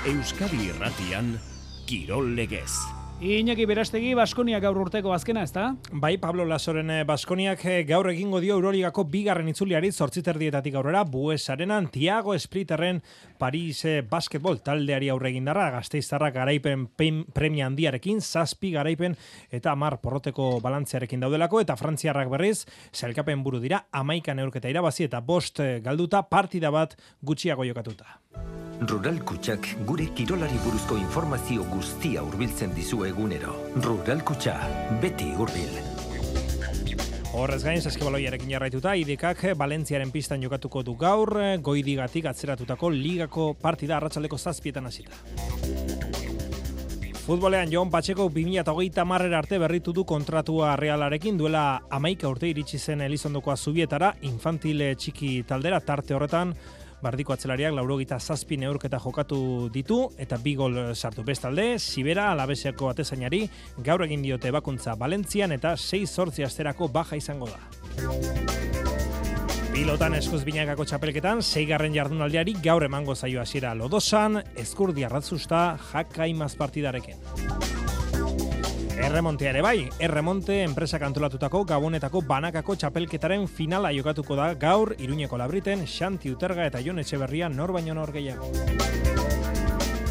Euskadi Irratian, Kirol Legez. Iñaki Berastegi, Baskonia gaur urteko azkena, ezta? Bai, Pablo Lasoren Baskoniak gaur egingo dio Euroligako bigarren itzuliari 8:30 aurrera Bues Arenan Thiago Splitterren Paris basketball taldeari aurre egindarra, Gasteiztarrak garaipen premia handiarekin, 7 garaipen eta 10 porroteko balantzearekin daudelako, eta frantziarrak berriz sailkapen buru dira, 11 neurketa irabazi eta 5 galduta, partida bat gutxiago jokatuta. Rural Kutxak gure kirolari buruzko informazio guztia hurbiltzen dizu egunero. Rural Kutxa, beti hurbil. Horrez gain, saskibaloiarekin jarraituta, IDKak Valentziaren pistan jokatuko du gaur, Goidigatik atzeratutako ligako partida arratsaldeko 7:00 hasita. Futbolean Jon Patxeko 2030 arte berritu du kontratua Realarekin, duela 11 urte iritsi zen Elizondokoa Zubietara, infantil txiki taldera, tarte horretan Bardiko atzelariak 87 neurketa jokatu ditu eta 2 gol sartu. Bestalde, Sibera Alabeseako atezainari gaur egin diote bakuntza Valentzian eta 6-8 asterako baja izango da. Pilotan eskuz binakako txapelketan, 6. jardunaldiari gaur emango zaio hasiera Lodosan, Ezkurdi Arratzusta Jakaimaz partidarekin. Erremontea ere bai, Erremonte enpresak antolatutako Gabonetako banakako txapelketaren finala jokatuko da gaur Iruñeko Labriten, Xanti Uterga eta Jon Etxeberria nor baino nor gehiago.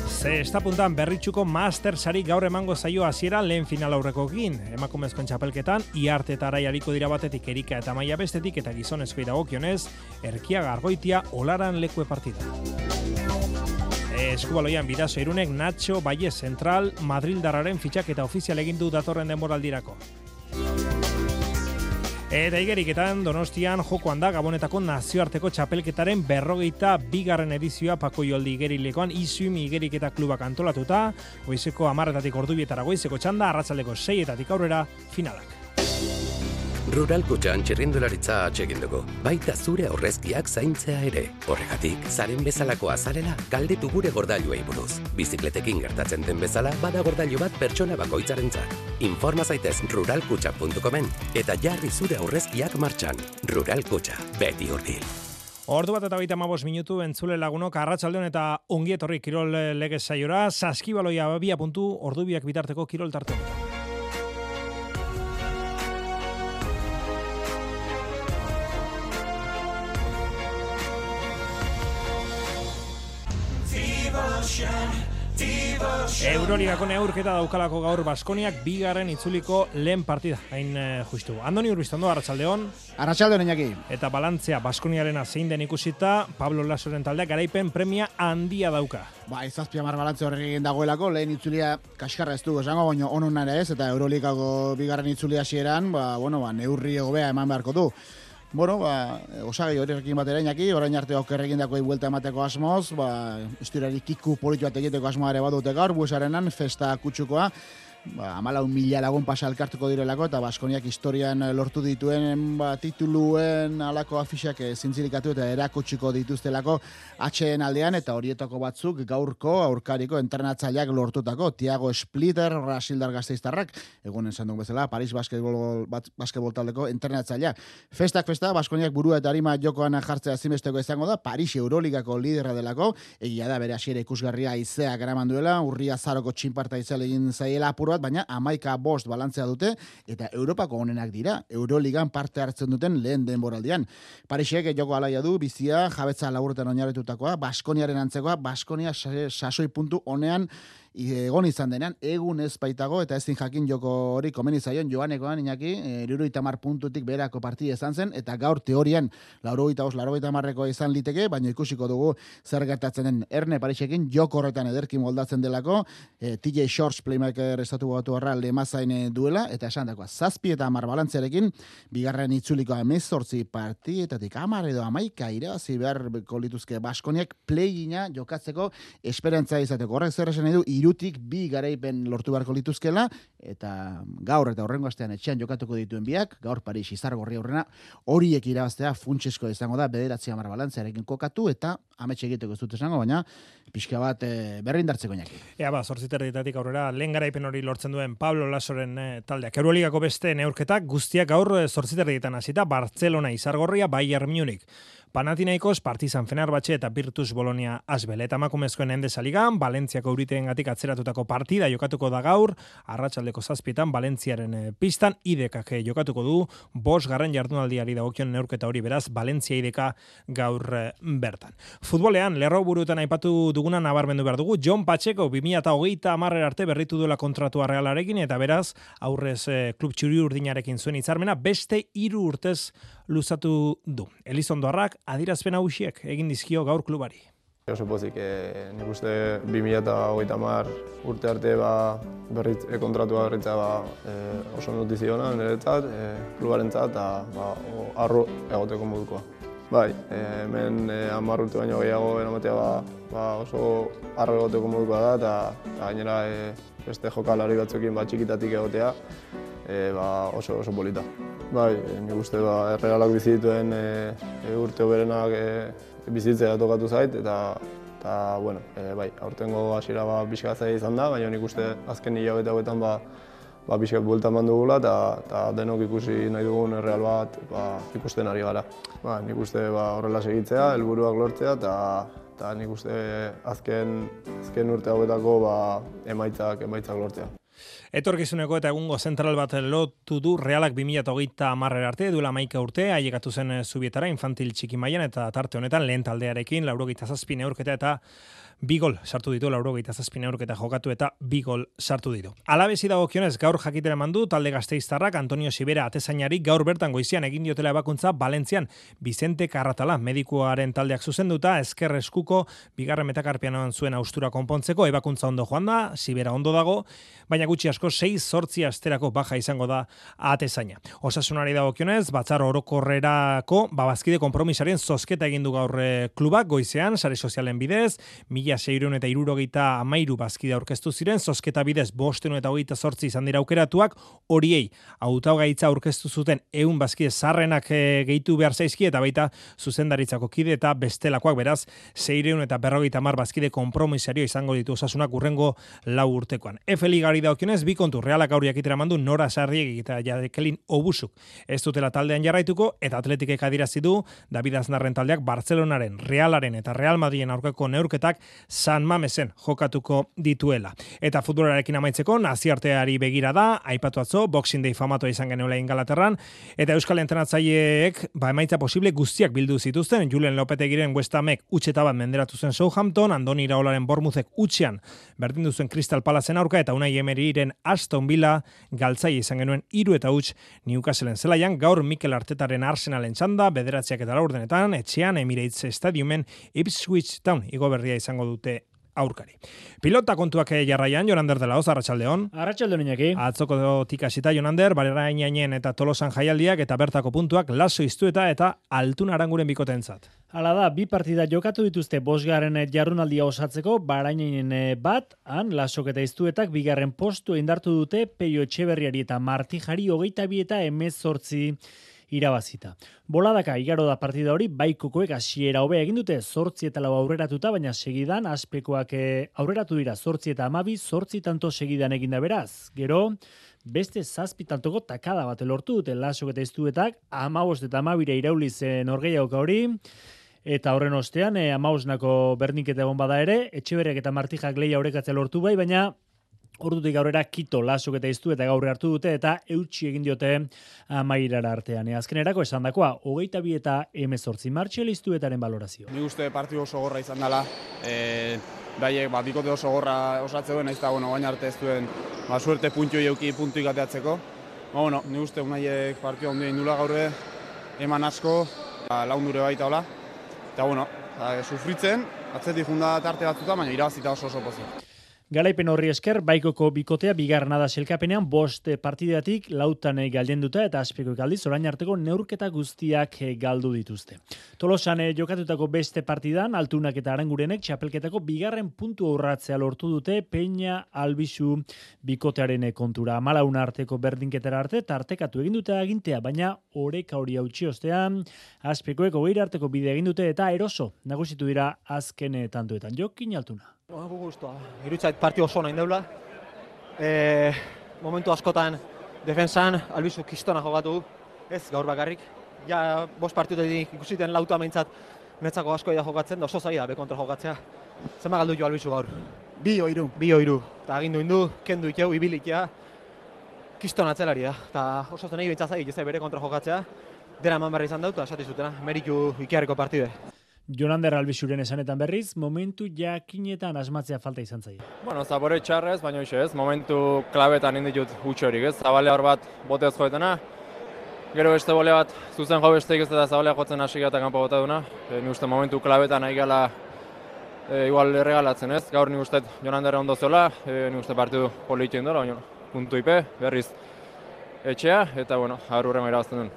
Zestapuntan Berritxuko Mastersari gaur emango zaio hasiera lehen final aurrekoekin. Emakumezkoen txapelketan Iarte eta Arai ariko dira batetik Erika eta Maia bestetik eta gizonezkoei dagokionez Erkiaga Argoitia Olaran lekue partida. Eskubaloian Bidaso Irunek Nacho Valle Central Madrildarraren fitxaketa ofizial egin du datorren denboraldirako. Eta igeriketan Donostian jokoan da Gabonetako nazioarteko txapelketaren 42. edizioa Pako Joldi igerilekoan Izumi igeriketa klubak antolatuta, goizeko 10:00 ordubietara goizeko txanda, arratsaldeko 6:00 aurrera finalak. Rural Kutxan txirrindularitza atsegin dugu, baita zure aurrezkiak zaintzea ere. Horregatik, zaren bezalako azarela, galdetu gure gordailuei buruz. Bizikletekin gertatzen den bezala, bada gordailu bat pertsona bakoitzarentzat. Informa zaitez ruralkutxa.comen eta jarri zure aurrezkiak martxan. Rural Kutxa, beti hurbil. Ordu bat eta 35 minutu entzule lagunok, arratsaldeon eta ongi etorri Kirol Legez saiora, Saskibaloia 2 puntu, ordubiak bitarteko kirol tarte. Euroligako neurketa daukalako gaur Baskoniak bigarren itzuliko lehen partida, hain justu. Andoni Urbiztondo, arratsaldeon. Arratsaldeon, Iñaki. Eta balantzea Baskoniarena zein den ikusita, Pablo Lasoren taldeak garaipen premia handia dauka. Ba, 7 balantze horrekin dagoelako, lehen itzulia kaskarra ez dugu esango, baina onon ere ez, eta Euroligako bigarren itzulia hasieran, neurri hobea eman beharko du. Osagai horrekin batera Iñaki, orain arte okerrekin dako buelta emateko asmoz, historiari kiku politu bat egiteko asmoa ere badute gaur, Bues Arenan, festa kutsukoa, 14.000 lagun pasa elkartuko direlako, eta Baskoniak historian lortu dituen tituluen alako afixak zintzilikatu eta erakutsiko dituztelako atxeen aldean, eta horietako batzuk gaurko aurkariko entrenatzaileak lortutako Thiago Splitter, Brasildar Gasteiztarrak, egun esan dugu bezala, Paris basketbol taldeko entrenatzailea. Festak festa, Baskoniak burua eta arima jokoan jartzea ezinbesteko izango da, Paris Euroligako liderra delako, egia da bere hasiera ikusgarria izea garaman duela, Urria Zaroko txinparta izan egin zaiela apur, baina 11-5 balantzea dute eta Europako onenak dira, Euroligan parte hartzen duten lehen denboraldian. Parisek joko alaia du, bizia, jabetza laburretan oinarritutakoa, Baskoniaren antzekoa, Baskonia sasoi puntu onean egon izan denean, egun ez baitago, eta ezin jakin joko hori komeni zaion Joanekoan, Iñaki, 70 puntutik berako partida izan zen, eta gaur teorian 85-90 izan liteke, baina ikusiko dugu zer gertatzen den. Erne Parisekin joko horretan ederki moldatzen delako, TJ Shorts playmaker estatu batu horra lemazain duela, eta esan dakoa, 7 eta 10 balantzearekin, bigarren itzulikoa 18 partietatik 10 edo 11 irabazi beharko lituzke Baskoniak play-ina jokatzeko esperantza izateko. Horrek zer esan edu, irutik 2 garaipen lortu beharko lituzkela, eta gaur eta horrengo astean etxean jokatuko dituen biak, gaur Paris Izargorri aurrena, horiek irabaztea funtsesko izango da, 9-10 balantzearekin kokatu, eta ametxe egiteko ez dut esango, baina pixka bat berrindartzeko Iñaki. Ea 8:30 aurrera lehen garaipen hori lortzen duen Pablo Lasoren taldeak. Euroligako beste neurketak guztiak gaur 8:30 hasita, Barcelona Izargorria, Bayern Munich. Panathinaikos, Partizan Fenerbahce eta Virtus Bologna Asbel. Eta emakumezkoen Endesa Ligan, Valentziako Euriteengatik atzeratutako partida jokatuko da gaur, arratsaldeko 7:00 Valentziaren pistan, IDEKak jokatuko du, 5. jardunaldiari dagokion neurketa hori, beraz, Valentzia IDEK gaur bertan. Futbolean, lerroburuetan aipatu duguna nabarmendu behar dugu, Jon Pacheco 2030 arte berritu duela kontratua Realarekin, eta beraz, aurrez klub txuri-urdinarekin zuen hitzarmena, beste 3 urtez luzatu du. Elizondoarrak adierazpen hausiek egin dizkio gaur klubari. Oso pozik, nik uste 2030 urte arte kontratua berritza oso notiziona niretzat, klubarentzat eta arro egoteko modukoa. Bai, hemen 10 urte baino gehiago eramatea oso arro egoteko modukoa da eta gainera beste jokalari batzuekin txikitatik egotea oso polita. Bai, nik uste Realak bizituen urte hoberenak bizitzea tokatu zait eta bai, aurtengo hasiera pixka zaila izan da, baina nik uste azken hilabete hauetan pixka buelta eman dugula eta denok ikusi nahi dugun Real bat ikusten ari gara. Nik uste horrela segitzea, helburuak lortzea eta nik uste azken urte hauetako emaitzak lortzea. Etorkizuneko eta egungo zentral bat lotu du Realak 2030 arte, duela 11 urte, ailegatu zen Zubietara infantil txiki mailan eta tarte honetan lehen taldearekin 87 neurketa eta 2 gol sartu ditu, 87 neurketa jokatu eta 2 gol sartu ditu. Alabesi dagokionez gaur jakitera eman du talde gasteiztarrak Antonio Sibera atezainari gaur bertan goizian egin diotela ebakuntza Valentzian Vicente Carratala medikuaren taldeak zuzenduta ezker eskuko 2. metakarpianoan zuen austura konpontzeko ebakuntza ondo joan da, Sibera ondo dago, baina gutxi asko 6-8 asterako baja izango da atezaina. Osasunari dagokionez batzar orokorrerako bazkide konpromisaren zozketa egin du gaur klubak goizean sare sozialen bidez 1673 bazkide aurkeztu ziren, zozketa bidez 528 izan dira aukeratuak, horiei hautagaitza aurkeztu zuten 100 bazkide zarrenak gehitu behar zaizki eta baita zuzendaritzako kide eta bestelakoak beraz 650 bazkide konpromisario izango ditu osasunak urrengo 4 urtekoan. F-ligari daukionez, 2 kontu Realak gaur jakitera mandu Nora Sarriegi eta Jakelin Obusuk ez dutela taldean jarraituko eta Atletikek adierazi du David Aznarren taldeak Barcelonaren, Realaren eta Real Madrilen aurkako neurketak San Mamesen jokatuko dituela. Eta futbolarekin amaitzeko nazioarteari begira da, aipatu atzo, Boxing Day famatua izan genuela Ingalaterran, eta Euskal entrenatzaileek emaitza posible guztiak bildu zituzten, Julen Lopetegiren West Hamek utxeta bat menderatu zen Southampton, Andoni Iraolaren Bournemouthek utxean berdindu zuen Crystal Palacen aurka, eta Unai Emeryren Aston Villa galtzaile izan genuen 3-0 Newcastleen zelaian, gaur Mikel Artetaren Arsenalen txanda, 9:04 etxean Emirates Stadiumen Ipswich Town igo berria izango dute aurkari. Pilota kontuak jarraian, Jonander de la Hoz, arratsaldeon. Arratsaldeon Iñaki. Atzoko tikasita Jonander, Barerainen eta Tolosan jaialdiak eta bertako puntuak Laso Iztueta eta Altuna Aranguren bikotentzat. Hala da, 2 partida jokatu dituzte 5. jardunaldia osatzeko, Barainen bat, Lasok eta Iztuetak 2. postu indartu dute Peio Etxeberriari eta Martijari 22 eta 18 irabazita. Boladaka igaro da partida hori, Baikokoek hasiera hobea egin dute 8 eta 4 aurreratuta, baina segidan Azpekoak aurreratu dira 8 eta 12, 8 tanto segidan eginda beraz. Gero, beste 7 tantoko takada bat lortu dute Lasok eta Iztuetak, 15 eta 12 irauliz norgehiagoka hori, eta horren ostean 15nako berdinketa egon bada ere, Etxeberriak eta Martijak lehia orekatzea lortu bai, baina ordutik aurrera Kito, Lasok eta Iztueta gaur hartu dute eta eutsi egin diote amaierara artean. Azkenerako esandakoa 22 eta 18 Martxel Iztuetaren balorazio. Nik uste partidu oso gorra izan dela. Baiek bikote oso gorra osatze duen, ez da gain arte ez duen suerte puntuik ateatzeko. Nik uste unaiek partidu ondo egin dula gaurre, eman asko, laundure baita hola. Eta sufritzen, atzetik junda tarte batzuta, baina irabazita oso pozik. Garaipen horri esker, Baikoko bikotea 2. da selkapenean 5 partidatik 4 galdenduta eta Azpekoek aldiz orain arteko neurketa guztiak galdu dituzte. Tolosan jokatutako beste partidan, Altunak eta Arangurenek txapelketako 2. puntu urratzea lortu dute Peña Albizu bikotearen kontura. 14 arteko berdinketara arte tartekatu egin dute agintea, baina oreka hori hautsi ostean, Azpekoek 20 arteko bide egin dute eta eroso nagusitu dira azken tantoetan. Jokin Altuna. Gustua. Irutzait partio oso nahi deula. Momentu askotan defensan Albizu kistona jogatu, ez gaur bakarrik. Ja, 5 partiduetik ikusiten lauta meintzat netzako asko da jokatzen, da oso zaila be kontra jokatzea. Zema galdu jo Albizu gaur? 2-3. 2-3. Eta agindu indu, kendu ikeu, ibilikia. Kiston atzelari da. Eta oso zenei bintzatzai, ez bere kontra jokatzea. Dera eman berri izan dut, eta esati zutena, meritu ikiarriko partide. Jonander Albizuren esanetan berriz, momentu jakinetan asmatzea falta izan zaie. Bueno, zabore txarrez, baina hoxe ez, momentu klabetan inditut hutxorik ez, zabale hor bat botez joetena, gero beste bole bat zuzen jo besteik ez eta zabalea jotzen hasi eta kanpo bota duna, ni uste momentu klabetan nahi gala igual erregalatzen ez, gaur ni uste Jonander ondo zola, ni uste partidu politien dola, baina puntu ipe, berriz etxea, eta bueno, aurrengo irabazten duen.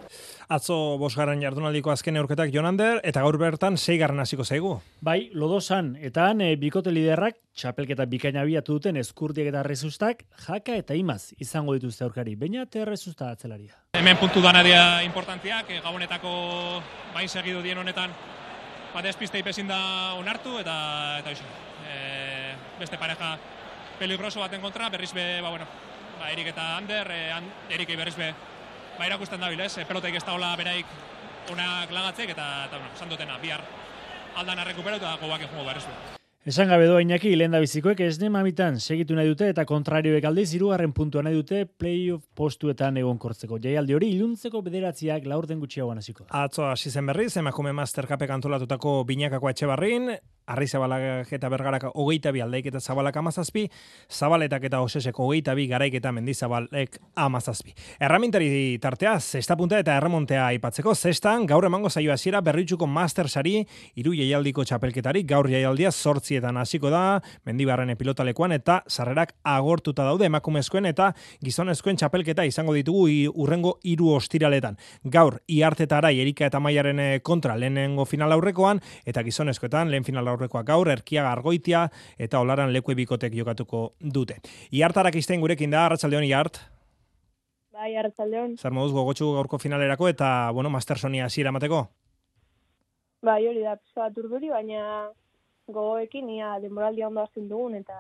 Atzo 5. jardunaldiko azken neurketak Jonander, eta gaur bertan 6. hasiko zaigu. Bai, lodosan, eta han bikote liderrak, txapelketa bikaina abiatu duten Eskurdiak eta Errezustak, Jaka eta Imaz izango dituzte aurkari, baina Errezusta atzelaria. Hemen puntu danaria importantziak, gabonetako bai segidu dien honetan, despiste ipezin da onartu, eta hoxe. Beste pareja peligroso baten kontra, berriz be, Erik eta Ander, Erikei berriz be, irakusten dabil, ez? Pelotaik ez dagoela beraik onak lagatzek, eta esan dutena, bihar aldan arrekupero eta gobak jungo berriz be. Esan gabe doa Iñaki, lehen da bizikoek esne mamitan segitu nahi dute eta kontrarioek aldiz 3. puntua nahi dute playoff postuetan egonkortzeko. Jaialdi hori iluntzeko 9 laurden gutxiagoan hasiko. Atzo hasi zen berriz, emakume Mastercupek antolatutako Binakako Etxebarrin, Arri-Zabalak eta Bergarak 22 aldaik eta Zabalak 17, Zabaletak eta Osesek 22, Garaik eta Mendizabalek 17. Erramintari tartea, 6. punta eta erremontea aipatzeko, 6. gaur emango zaio hasiera Berritxuko Mastersari, 3 jaialdiko txapelketari, gaur jaialdia 8etan hasiko da, Mendibarren pilotalekuan eta sarrerak agortuta daude emakumezkoen eta gizonezkoen txapelketa izango ditugu urrengo 3 ostiraletan. Gaur Iartetara Erika eta Maiaren kontra lehenengo final aurrekoan eta gizonezkoetan lehen final aurrekoa gaur Erkiaga Argoitia eta Olaran Lekue bikotek jokatuko dute. Iartarak izten gurekin da, arratsaldeon Iart. Bai, arratsaldeon. Zer moduz gogotsu gaurko finalerako eta, Mastersonia hasiera emateko? Bai, hori da, pizka bat urduri, baina gogoekin ia denboraldia ondo hasten dugun eta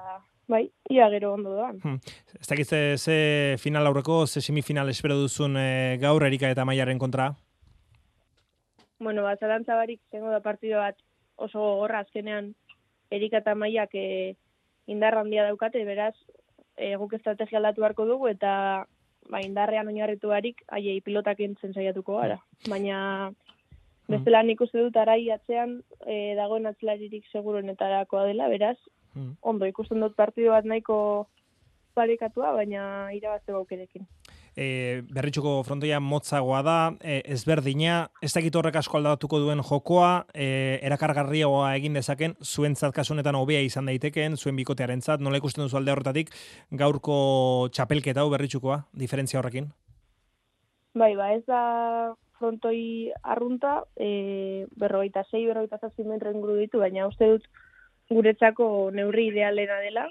bai, ia gero ondo doan. Ez dakit ze final aurreko, ze semifinal espero duzun gaur Erika eta Maiaren kontra? Bueno, zalantza barik zengo da partido bat oso gogorra azkenean Erika eta Maiak indarra handia daukate, beraz guk estrategia aldatu beharko dugu eta indarrean oinarritu barik haiei pilotak entzen saiatuko gara. Baina bestela nik uste dut arai atzean dagoen atzelaririk seguruenetarakoa dela, beraz, ondo ikusten dut partido bat nahiko parekatua, baina irabazteko aukerekin. Berritxuko frontoia motzagoa da, ezberdina, ez dakit horrek asko aldatuko duen jokoa, erakargarriagoa egin dezaken, zuentzat kasunetan hobea izan daitekeen, zuen bikotearentzat, nola ikusten duzu alde horretatik gaurko txapelketa hau Berritxukoa, diferentzia horrekin? Bai, ez da frontoi arrunta, 46-47 metro inguru ditu, baina uste dut guretzako neurri idealena dela.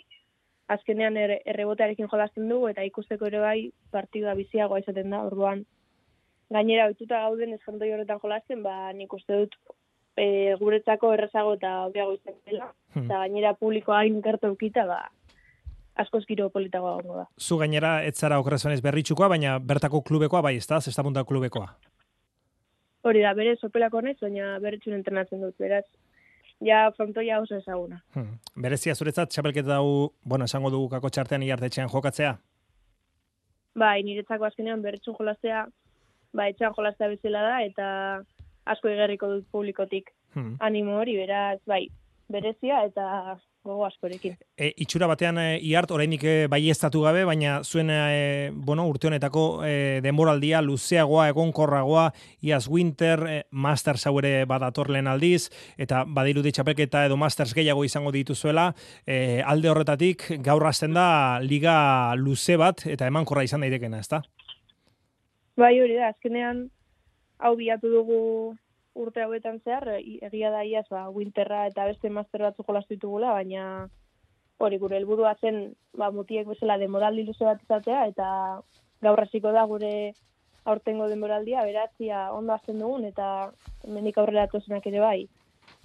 Azkenean errebotearekin jolasten dugu eta ikusteko ere bai partida biziagoa izaten da. Orduan gainera ohituta gauden ez frontoi horretan jolasten, nik uste dut guretzako errezago eta hobeago izaten dela. Eta gainera publikoa hain gertu eukita, askoz giro politagoa gongo da. Zu gainera ez zara okerrezonez Berritxukoa, baina bertako klubekoa bai, ez da? 6. punta klubekoa. Hori da, bere sopelako naiz, baina Berritxun entrenatzen dut, beraz. Ja, frontoia oso ezaguna. Berezia zuretzat, txapelketa hau, esango dugu kako txartean Iartetxean jokatzea? Bai, niretzako azkenean Berritxun jolastea, etxean jolastea bezala da, eta asko igerriko dut publikotik animo hori, beraz, berezia eta gogo askorekin. Itxura batean Iart oraindik baieztatu gabe, baina zuen urte honetako denboraldia luzeagoa, egonkorragoa, iaz Winter, Masters hau ere badator lehen aldiz, eta badirudi txapelketa edo Masters gehiago izango dituzuela, alde horretatik gaur hasten da liga luze bat, eta emankorra izan daitekena, ezta? Bai, hori da, azkenean hau bilatu dugu urte hauetan zehar, egia da iaz, Winterra eta beste master batzu jolastu ditugula, baina hori gure helburua zen mutiek bezala denboraldi luze bat izatea, eta gaur hasiko da gure aurtengo denboraldia, berazia ondo hasten dugun, eta hemendik aurrera datozenak ere bai,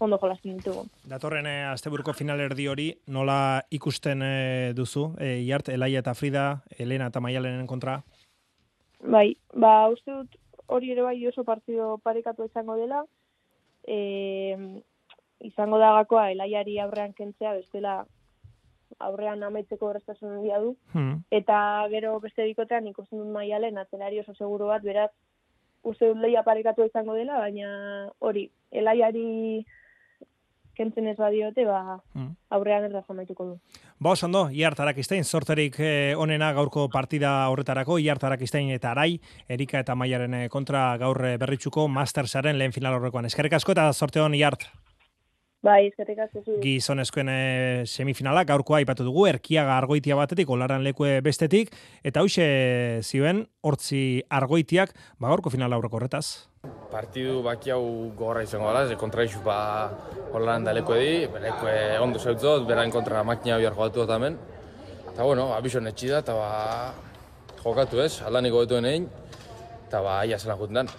ondo jolasten ditugu. Datorren asteburuko finalerdi hori, nola ikusten duzu? Iart, Elaia eta Frida, Elena eta Maialenen kontra? Bai, uste dut hori ere bai oso partido parekatu izango dela, izango da gakoa Elaiari aurrean kentzea, bestela aurrean amaitzeko errestasun handia du, eta gero beste bikotean ikusten dut Maialen atzelari oso seguru bat, beraz, uste dut lehia parekatu izango dela, baina hori, Elaiari kentzen ez badiote, aurrean erraz amaituko du. Oso ondo, Iart Arakistain, sorterik onena gaurko partida horretarako, Iart Arakistain eta Arai, Erika eta Maiaren kontra gaur berritxuko Mastersaren lehen final horrekoan. Eskerrik asko eta sorte hon, Iart. Bai, eskerrik asko zu. Gizonezkoen semifinala gaurkoa aipatu dugu, Erkiaga Argoitia batetik, Olaran Lekue bestetik, eta hoxe zioen, hortzi Argoitiak, gaurko finala aurreko horretaz. Partidu baki hau gogorra izango dela, kontraixu Olaran da Lekue di, Lekue ondo zeutzot, berain kontra makina bihar jokatu dut hemen. Eta bueno, abizon etxida, eta jokatu ez, aldaniko betuen egin, eta aia zelan jutendan.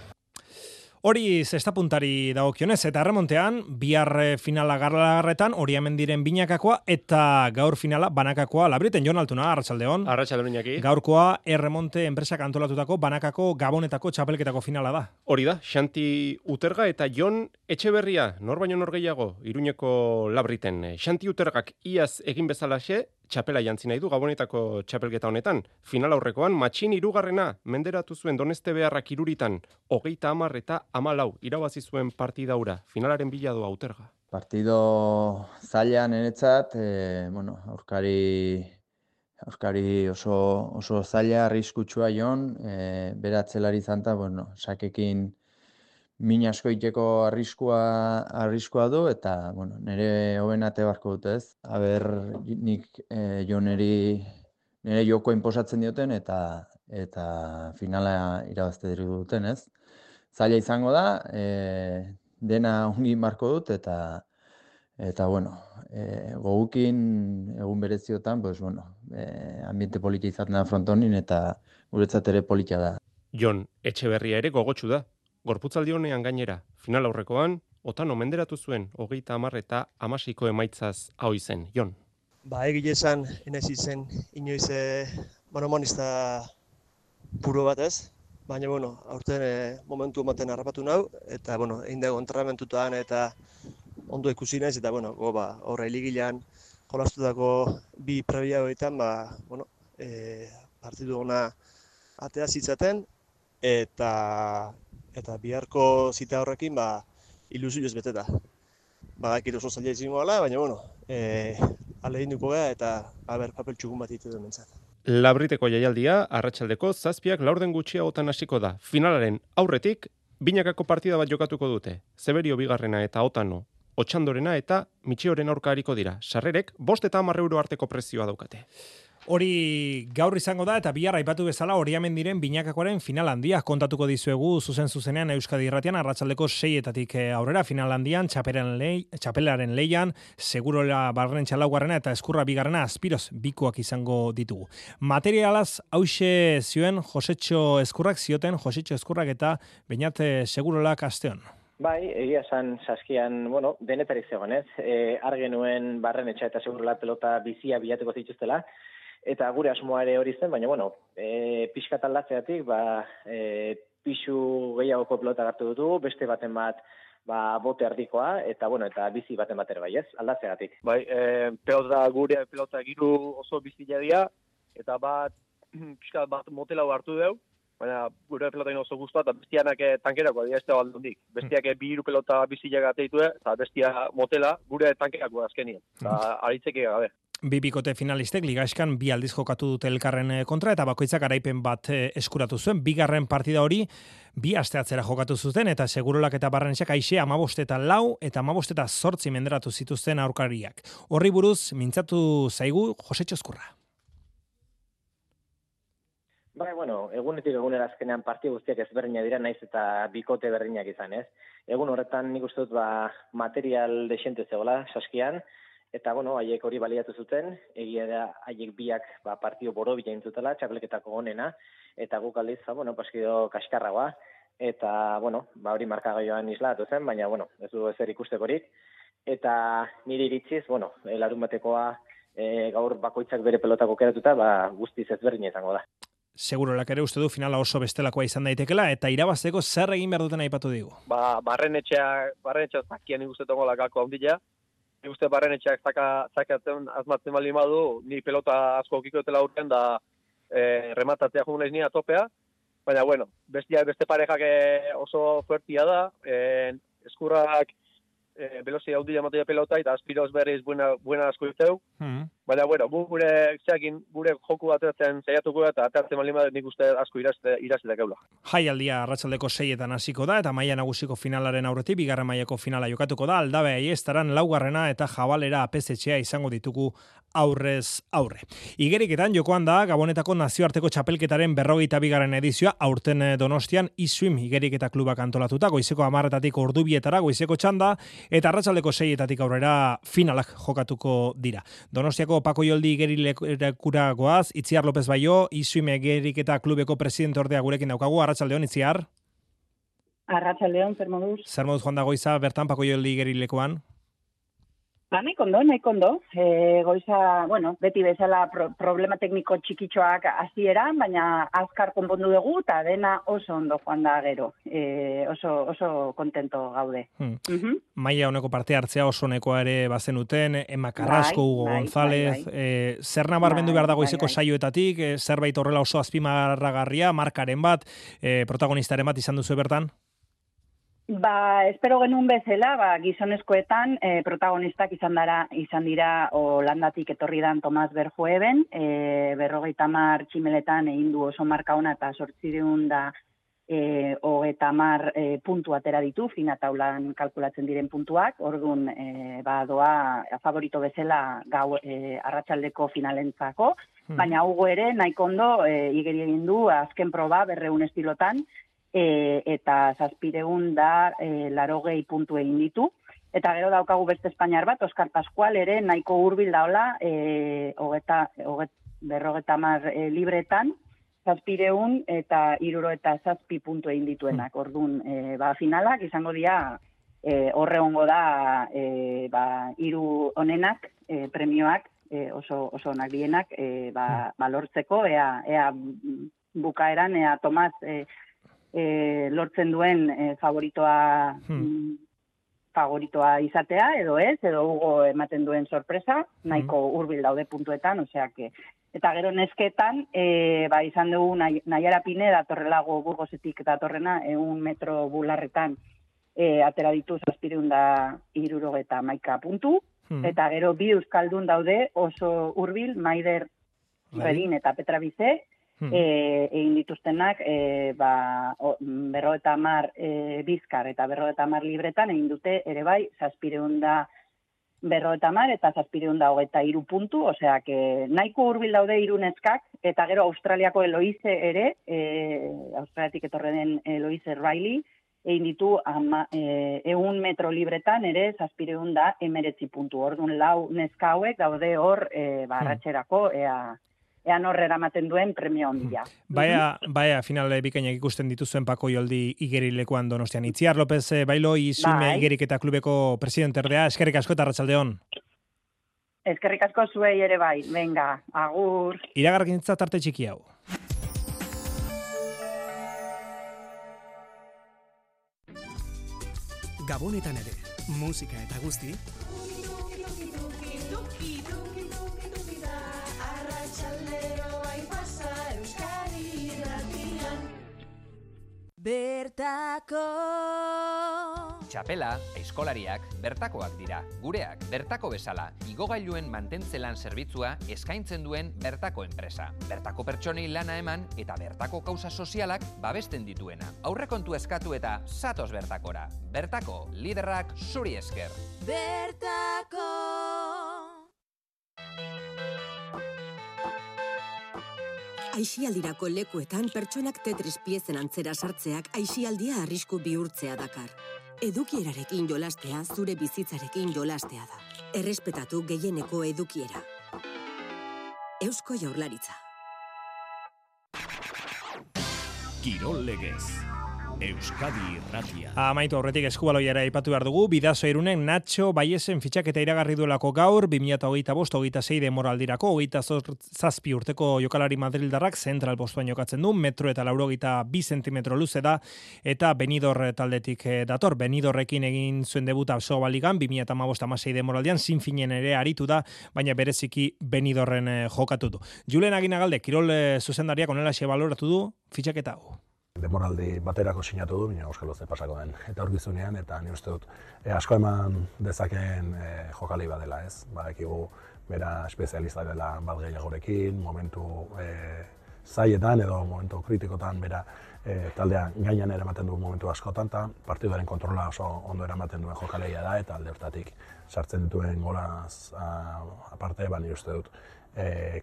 Hori zestapuntari dagokionez, eta erremontean, bihar finala garlarretan, hori hemen diren binakakoa, eta gaur finala banakakoa, Labriten, Jon Altuna, Arratsaldeon. Arratsaldeon Iñaki. Gaurkoa erremonte enpresak antolatutako banakako gabonetako txapelketako finala da. Hori da, Xanti Uterga eta Jon Etxeberria, nor baino nor gehiago, Iruñeko Labriten. Xanti Utergak iaz egin bezalaxe, txapela jantzi nahi du gabonetako txapelketa honetan. Final aurrekoan, matxin 3. menderatu zuen Doneste Beharrak Iruritan, 30 eta 14 irabazi zuen partida hura. Finalaren bila doa Uterga. Partido zailan niretzat, aurkari oso zaila, arriskutsua Jon, beratzelari zanta, sakekin min asko iteko arriskua du, eta nire hobenate barko dut ez. Aber, nik Joneri nire joko inposatzen dioten, eta finala irabazte duten ez. Zaila izango da, dena ongi marko dut, eta gogukin egun bereziotan, ambiente politia izaten da frontonin, eta guretzat ere politia da. Jon Etxeberria ere gogotsu da. Gorputzaldi honean gainera, final aurrekoan, Otano menderatu zuen 30 eta 16 emaitzaz hau izen. Jon. Egile esan, enaiz izen, inoiz monomonista puro bat ez, baina aurten momentu ematen harrapatu nau, eta egin dago entrenamentutan eta ondo ikusi naiz, eta horra hiligilean jolastutako bi prebia horietan, partidu ona atea zitzaten, eta biharko zita horrekin ilusioz beteta. Badakit oso zaila izango dela, baina ahaleginduko gara eta papel txukun bat ditu mentzat. Labriteko jaialdia arratsaldeko 7 laurden gutxiagotan hasiko da. Finalaren aurretik binakako partida bat jokatuko dute. Zeberio bigarrena eta Otano, Otxandorena eta Mitxioren aurka hariko dira. Sarrerek 5 eta 10 euro arteko prezioa daukate. Hori gaur izango da, eta bihar aipatu bezala hori hemen diren binakakoaren final handia kontatuko dizuegu zuzenean Euskadi Irratian, arratsaldeko 6etatik aurrera final handian, txapelaren leian, Segurola Barrentxa laugarrena eta Eskurra bigarrena Aspiroz bikoak izango ditugu. Materialaz hauxe zioen Josetxo Eskurrak zioten, Josetxo Eskurrak eta Beñat Segurolak asteon. Bai, egia esan saskian, denetarik zegoen ez, argenuen Barrenetxa eta Segurola pelota bizia bilatuko zituztela, eta gure asmoa ere hori zen, baina, pixkat aldatzeatik, pixu gehiagoko pelota hartu dutu, beste baten bat, bote ardikoa, eta bizi baten bat ere bai, ez, aldatzeatik. Bai, gure pelota giru oso bizia dira, eta pixkat bat motelau hartu dugu, baina gure pelotain oso guztua, eta bestianak tankerako dira ez da baldundik. Bestiak 2 pelota biziak ateitu, eta bestia motela gure tankerako azkenien, eta aritzeke gabe. Bi bikote finalistek ligaiskan 2 aldiz jokatu dute elkarren kontra, eta bakoitzak garaipen bat eskuratu zuen. Bigarren partida hori 2 aste atzera jokatu zuten, eta Segurolak eta Barrenetxak aixe 15 eta 4 eta 15 eta 8 menderatu zituzten aurkariak. Horri buruz mintzatu zaigu Josetxo Eskurra. Egunetik egunera azkenean partida guztiak ezberdina dira, naiz eta bikote berdinak izan, ez? Egun horretan nik uste dut material desente zegoela saskian, eta haiek hori baliatu zuten, egia da haiek biak partido borobila intzutela, txapelketako onena, eta guk aldiz, paskido kaskarragoa, eta hori markagaioan islatu zen, baina ez du ezer ikustekorik, eta nire iritziz, larun batekoa gaur bakoitzak bere pelotak okeratuta, guztiz ezberdina izango da. segurolak ere uste du finala oso bestelakoa izan daitekela, eta irabazteko zer egin behar duten aipatu digu. Barrenetxeak zakian ikusten tongola gako handia. Uste Barrenetxeak zakatzen azmatzen bali madu, ni pelota asko okikotela urten da rematatzea joan naiz ni atopea. Baina, bueno, beste parejak oso fuertia da, eskurrak velozia handia ematea pelota, eta Aspiroz berriz buena asko izteu. Baina, bueno, gure joku ateratzen saiatuko eta ateratzen bali madu nik uste asko irazitak eula. Jaialdia arratsaldeko 6etan hasiko da, eta maila nagusiko finalaren aurretik, bigarren mailako finala jokatuko da, Aldabea Aiestaran laugarrena eta Jabalera APZ izango ditugu aurrez aurre. Igeriketan jokoan da Gabonetako nazioarteko txapelketaren 42. edizioa, aurten Donostian Iswim igeriketa klubak antolatuta, goizeko 10:00 ordubietara goizeko txanda, eta arratsaldeko 6:00 aurrera finalak jokatuko dira. Donostiako Pako Joldi igerilekura goaz, Itziar López Baio, Iswim igeriketa klubeko presidente ordea gurekin daukagu. Arratsaldeon, Itziar. Arratsaldeon, zer moduz? Zer moduz joan da goiza bertan Pako Joldi igerilekoan? Nahi kondo. Goiza, bueno, beti bezala problema tekniko txikitxoak hasieran, baina azkar konpondu dugu, eta dena oso ondo joan da gero. Oso kontento gaude. Maila honeko parte hartzea oso nekoa ere bazenuten, Emma Carrasco, Hugo González, zer nabarmendu behar dago izeko saioetatik, zerbait horrela oso azpimarragarria, markaren bat, protagonistaren bat izan duzu bertan? Espero genuen bezala, gizonezkoetan protagonistak izan dira Holandatik etorri dan Tomas Verhoeven, 50 tximeletan egin du oso marka ona eta 830 puntu atera ditu, fina taulan kalkulatzen diren puntuak, orduan doa favorito bezala gau arratsaldeko finalentzako, baina Hugo ere nahiko ondo igeri egin du azken proba 200 estilotan, eta 780 puntu egin ditu. Eta gero daukagu beste Espainiar bat, Oskar Pascual ere nahiko hurbil daola 50 libretan, 700 eta 67 puntu egin dituenak. Orduan, finalak izango dira horregongo da hiru onenak, premioak oso onak dienak lortzeko, ea bukaeran, ea Tomas lortzen duen favoritoa izatea, edo ez, edo Hugo ematen duen sorpresa, nahiko hurbil daude puntuetan, eta gero nesketan, izan dugu Naiara Pine datorrelago Burgosetik datorrena, 100 metro bularretan atera ditu 760 puntu, eta gero bi euskaldun daude oso hurbil, Maider Redin eta Petra Bize, egin dituztenak 50 bizkar eta 50 libretan egin dute ere bai 750 eta 723 puntu, nahiko hurbil daude hiru neskak, eta gero Australiako Eloise ere, Australiatik etorri den Eloise Riley, egin ditu 100 metro libretan ere 719 puntu. Orduan lau neska hauek daude hor arratserako ean horre eramaten duen premio handia. Baia, finale bikainak ikusten dituzuen Pako Joldi igerilekoan Donostian. Itziar López Bailo, Iswim igeriketa klubeko presidente ordea, eskerrik asko eta arratsaldeon. Eskerrik asko zuei ere bai, venga, agur. Iragarkintza tarte txiki hau. Gabonetan ere, musika eta guzti, bertako. Txapela, aizkolariak, bertakoak dira. Gureak, bertako bezala, igogailuen mantentzelan zerbitzua eskaintzen duen bertako enpresa. Bertako pertsonei lana eman eta bertako kausa sozialak babesten dituena. Aurrekontu eskatu eta zatoz bertakora. Bertako, liderrak zuri esker. Bertako. Aisialdirako lekuetan pertsonak Tetris piezen antzera sartzeak aisialdia arrisku bihurtzea dakar. Edukierarekin jolastea zure bizitzarekin jolastea da. Errespetatu gehieneko edukiera. Eusko Jaurlaritza. Kirol legez. Euskadi Irratia. Amaitu aurretik eskubaloiara aipatu behar dugu, Bidasoa Irunen Nacho Baiesen fitxaketa iragarri duelako gaur, 2025-26 demoraldirako, 27 urteko jokalari madrildarrak zentral postuan jokatzen du, 1,82 zentimetro luze da, eta Benidorm taldetik dator. Benidorrekin egin zuen debuta Soba Ligan, 2015-16 demoraldian, zinfinen ere aritu da, baina bereziki Benidorren jokatu du. Julen Aginagalde, kirol zuzendariak onelaxe baloratu du fitxaketa hau. Demoraldi baterako sinatu du, baina Euskal Loze pasako den etorkizunean, eta ni uste dut asko eman dezakeen jokali badela, ez? Badakigu bera espezialista dela bat gehiagorekin, momentu zaietan edo momentu kritikotan bera taldea gainean eramaten du momentu askotan, eta partiduaren kontrola oso ondo eramaten duen jokaleia da, eta alde hortatik sartzen dituen golaz aparte, ni uste dut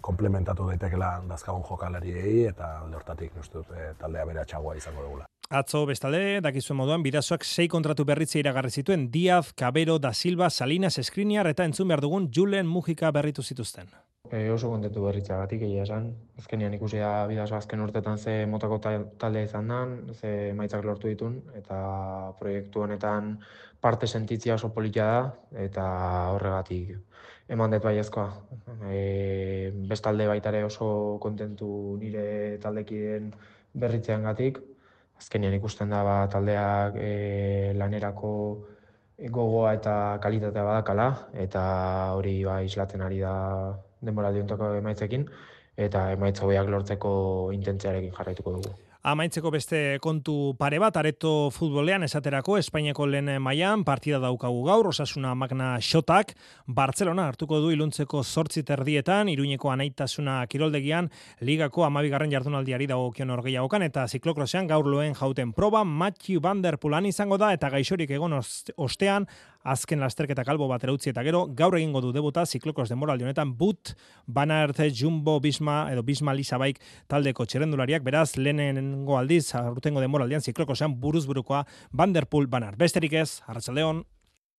komplementatu daitekela dazkagun jokalariei eta alde hortatik uste dut taldea beratxagoa izango dugula. Atzo bestalde, dakizuen moduan, Bidasoak 6 kontratu berritze iragarri zituen Diaz, Cabero, Da Silva, Salinas, Skriniar eta entzun behar dugun Julen Mujika berritu zituzten. Oso kontentu berritzagatik egia esan. Azkenean ikusi da Bidasoa azken urtetan ze motako taldea izan dan, ze emaitzak lortu ditun, eta proiektu honetan parte sentitzia oso politia da, eta horregatik eman dut baiezkoa. Bestalde baitare oso kontentu nire taldekideen berritzeangatik. Azkenean ikusten da taldeak lanerako gogoa eta kalitatea badakala, eta hori islatzen ari da denboraldi hontako emaitzekin, eta emaitza hobeak lortzeko intentziarekin jarraituko dugu. Amaitzeko beste kontu pare bat, Areto futbolean esaterako Espainiako lehen mailan partida daukagu gaur, Osasuna Magna Xotak, Bartzelona hartuko du iluntzeko 8:30, Iruñeko Anaitasuna kiroldegian, ligako 12. jardunaldiari dagokion norgehiagokan, eta ziklokrosean gaur loen jauten proba, Matthew Van Der Poolan izango da, eta gaixorik egon ostean, azken lasterketa kalbo bat utzi eta gero, gaur egingo du debuta ziklokros demoraldi honetan, But, Van Aert, Jumbo, Bisma Lisabaik taldeko txerrendulariak, beraz, lehenengo aldiz, aurtengo demoraldian ziklokrosean buruzburukoa Van Der Poel Van Aert. Besterik ez, arratsaldeon.